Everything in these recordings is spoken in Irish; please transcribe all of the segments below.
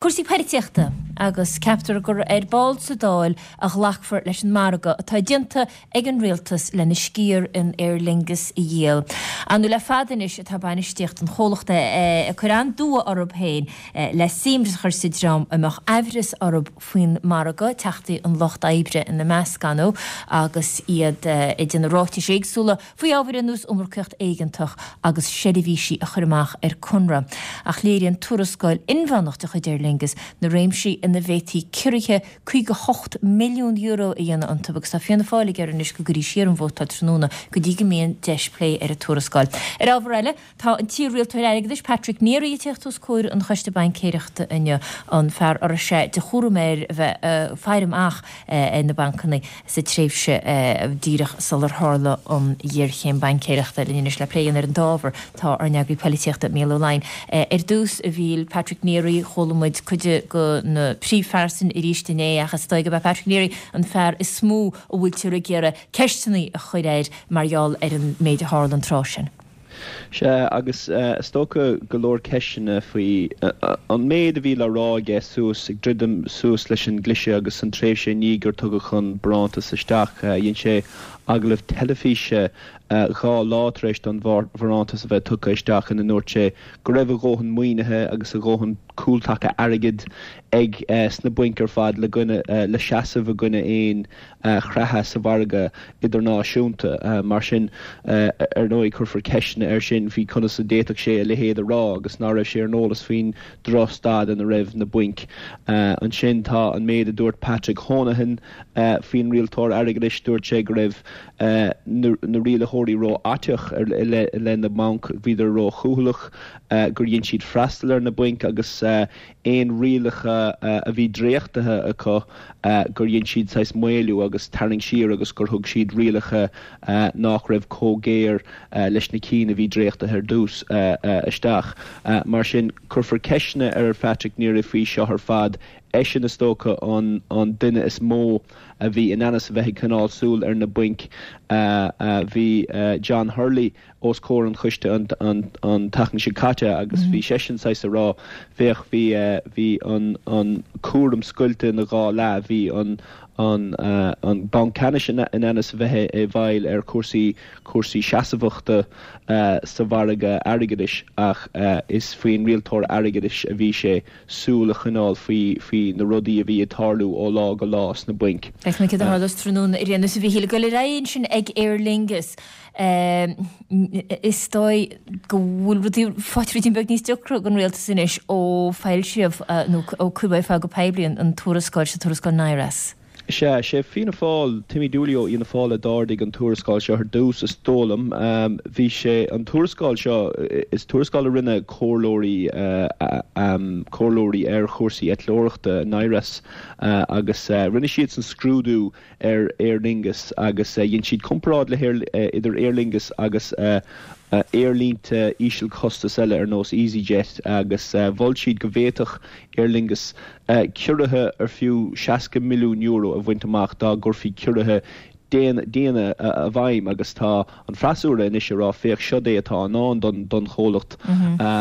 Cúrsaí poilitíochta agus ceaptar gur ar ball sa Dáil a ghlacfar leis an margadh atá déanta ag an Rialtas lena sciar in Aer Lingus a dhíol. Ar ndóigh le fada anois atá bainistíocht an chomhlachta ag cur an-dua orthu féin le suim a chur sa dream a mbeadh aimhreas orthu faoin margadh, Teachtaí an Lucht Oibre ina measc, ar ndóigh, agus iad ag déanamh ráitis éagsúla faoi ábhair ar nós iomarcaíocht éigeantach agus seirbhísí a chur amach ar conradh. Ach léiríonn tuarascáil inmheánach de chuid Aer Lingus na réimsí ina bhféadfaí ciorruithe €58 milliún a dhéanamh iontu agus tá Fianna Fáil ag iarraidh anois go gcuirfí siar an vótáil tráthnóna go dtí go mbíonn deis plé ar an tuarascáil. Ar ábhar eile, Tá an t-iar-rialtóir airgeadais Patrick Neary ag teacht os comhair an Choiste Baincéireachta inniu, an fear a raibh sé de chúram air a bheith ag faire amach ar na bancanna sa tréimhse díreach sular tharla an ghéarchéim baincéireachta. Linn anois le plé a dhéanamh ar an dá ábhar tá ár n-eagraí poilitíochta Mícheál Ó Laighin. Ar dtús, a Mhíchíl, Patrick Neary, chuala muid cuid de na príomhphearsain arís inné ach is dóigh gurb é Patrick Neary an fear is mó a bhfuiltear ag iarraidh ceisteanna a chur air mar gheall ar an méid a tharla an tráth sin. Sea, agus is dócha go leor ceisteanna faoi an méid a bhí le rá aige suas, ag druidim suas leis an gcliseadh agus an tréimhse i ndiaidh gur tugadh an barántas isteach. Dhein sé agallamh teilifíse dhá lá tar éis don bharántas a bheith tugtha isteach ina ndúirt sé go raibh a dhóthain maoinithe agus a dhóthain cúltaca airgid ag sna bainc ar fad le le seasamh i gcoinne aon creathadh sa mhargadh idirnáisiúnta. Mar sin, ar ndóigh, cuirfear ceisteanna air sin faoi conas a d'fhéadfadh sé a leithéid a rá agus ná raibh sé ar an eolas faoin drochstaid ina raibh na bainc. Ansin tá an méid a dúirt Patrick Honohan faoin rialtóir airgeadais. Dúirt sé go raibh na rialaitheoirí rófhaiteach i leith na mbanc, bhíodar róchúthaileach, gur dhein siad freastal ar na bainc agus aon rialacha a bhí dréachtaithe acu gur dhein siad saghas maolú agus tarraingt siar agus gur thug siad rialacha nách raibh chomh géar leis na cinn a bhí dréachtaithe ar dtús isteach. Mar sin, cuirfear ceisteanna ar Phatrick Neary faoi seo ar fad. Eisean is dócha an duine is mó a bhí in ainm is a bheith ag coinneáil súil ar na bainc. Bhí John Hurley os comhair an choiste an tseachtain seo caite agus bhí seisean saghas a rá, féach, bhí, bhí an, an cúram scoilte ina dhá leath, bhí an, an, an Banc Ceannais in ainm is a bheith i bhfeighil ar chúrsaí, cúrsaí seasmhachta sa mhargadh airgeadais ach is faoin rialtóir airgeadais a bhí sé súil a choinneáil faoi, faoi na rudaí a bhí ag tarlú ó lá go lá sna bainc. Feicfimid céard a tharlós tráthnóna ar aon nós a Mhíchíl. Ag dul ar aghaidh ansin ag Aer Lingus. Is dóigh go bhfuil rudaí faighte ruidín beag níos deacra don rialtas anois ó foilsíodh nó ó cuireadh ar fáil go poiblí an tuarascáil seo, tuarascáil NIRAS. Sea, sé Fianna Fáil, Timmy Dooley ó Fhianna Fáil a d'ardaigh an tuarascáil seo ar dtús, is dóigh liom. Bhí sé, an tuarascáil seo, is tuarascáil a rinne comhairleoirí, comhairleoirí ar chúrsaí eitleoireachta, NIRAS, agus rinne siadsan scrúdú ar Aer Lingus agus dhein siad comparáid le idir Aer Lingus agus aerlínte ísealchostais eile ar nós easyJet agus mhol siad go bhféadfadh Aer Lingus ciorruithe ar fiú €60 milliún a bhaint amach dá gcuirfí ciorruithe diana i bhfeidhm agus tá an freasúra anois ag rá féach siod é atá i ndán don chomhlacht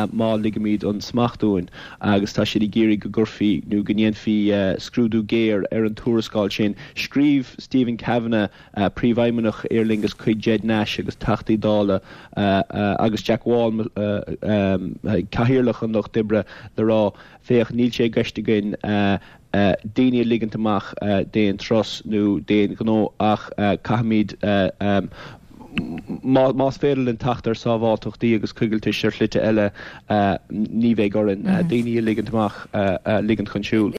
má ligimid an smacht uainn agus tá siad ag iarraidh go gcuirfí nó go ndéanfaí scrúdú géar ar an tuarascáil sin. Scríobh Stephen Kavanagh, Príomhfheidhmeannach Aer Lingus chuig Ged Nash agus Teachtaí Dála agus Jack Wall, Cathaoirleach an Lucht Oibre le rá féach níl sé i gceist againn daoine a ligint amach d'aon turas nó d'aon ghnó ach caithfimid, más féidir linn teacht ar sábháilteachtaí agus coigiltis ar shlite eile, ní bheidh orainn daoine a ligint amach, a ligint chun siúil.